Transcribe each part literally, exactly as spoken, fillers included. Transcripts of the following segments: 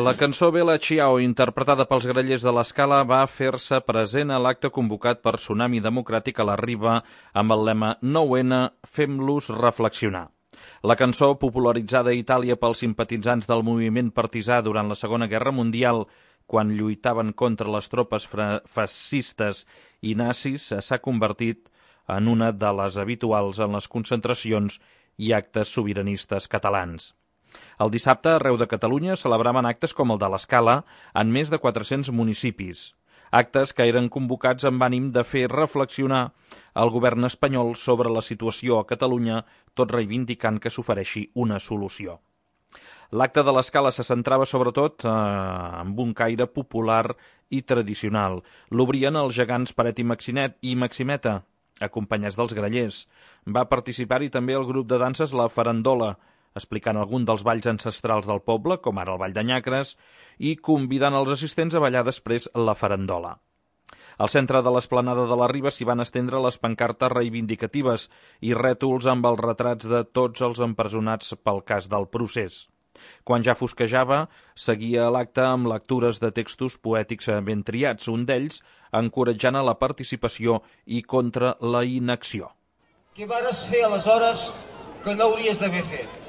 La cançó Bella Ciao, interpretada pels Grallers de l'Escala, va fer-se present a l'acte convocat per Tsunami Democràtic a la Riba amb el lema nou ene, fem-los reflexionar. La cançó, popularitzada a Itàlia pels simpatitzants del moviment partisà durant la Segona Guerra Mundial, quan lluitaven contra les tropes fascistes i nazis, s'ha convertit en una de les habituals en les concentracions i actes sobiranistes catalans. El dissabte, arreu de Catalunya, celebraven actes com el de l'Escala en més de quatre-cents municipis. Actes que eren convocats amb ànim de fer reflexionar el govern espanyol sobre la situació a Catalunya, tot reivindicant que s'ofereixi una solució. L'acte de l'Escala se centrava sobretot eh, amb un caire popular i tradicional. L'obrien els gegants Paret i Maxinet i Maximeta, acompanyats dels Grallers. Va participar-hi també el grup de danses La Farandola, explicant algun dels balls ancestrals del poble, com ara el ball de Nyacres, i convidant els assistents a ballar després la farandola. Al centre de l'esplanada de la Riba s'hi van estendre les pancartes reivindicatives i rètols amb els retrats de tots els empresonats pel cas del procés. Quan ja fosquejava, seguia l'acte amb lectures de textos poètics ben triats, un d'ells encoratjant a la participació i contra la inacció. Què vares fer aleshores que no hauries d'haver fet?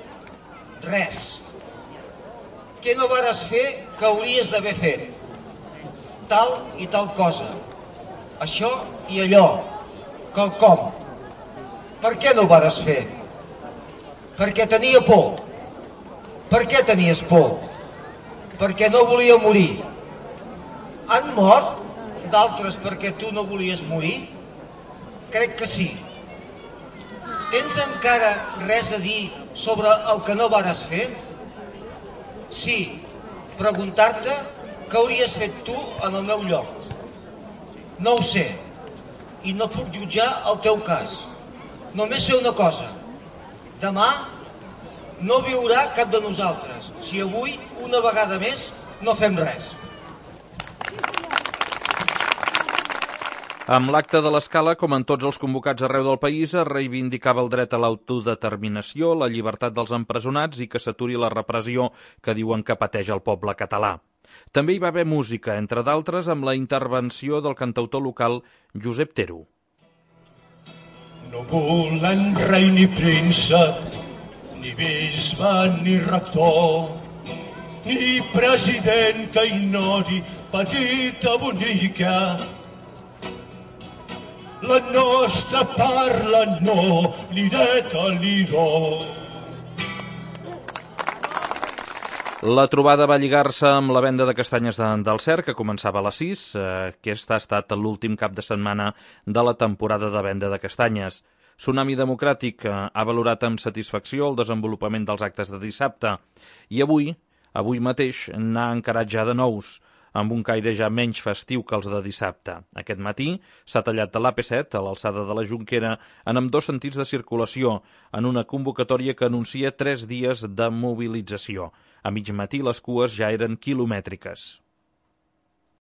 Res. Què no vares fer que hauries d'haver fet? Tal i tal cosa. Això i allò. Quelcom. Per què no ho vares fer? Perquè tenia por. Per què tenies por? Perquè no volia morir. Han mort d'altres perquè tu no volies morir? Crec que sí. Tens encara res a dir sobre el que no vares fer? Sí, preguntar-te què hauries fet tu en el meu lloc. No ho sé, i no puc jutjar el teu cas. Només sé una cosa. Demà no viurà cap de nosaltres, si avui, una vegada més, no fem res. Amb l'acte de l'Escala, com en tots els convocats arreu del país, es reivindicava el dret a l'autodeterminació, la llibertat dels empresonats i que s'aturi la repressió que diuen que pateix el poble català. També hi va haver música, entre d'altres amb la intervenció del cantautor local Josep Tero. No volen rei ni príncep, ni bisbe ni rector, ni president que ignori petita bonica. La nostra parla no, l'ireta l'iró. La trobada va lligar-se amb la venda de castanyes del Cer, que començava a les sis. Aquest ha estat l'últim cap de setmana de la temporada de venda de castanyes. Tsunami Democràtic ha valorat amb satisfacció el desenvolupament dels actes de dissabte i avui, avui mateix, n'ha encarat ja de nous, amb un caire ja menys festiu que els de dissabte. Aquest matí s'ha tallat de l'A P set, a l'alçada de la Jonquera, en ambdós sentits de circulació, en una convocatòria que anuncia tres dies de mobilització. A mig matí les cues ja eren quilomètriques.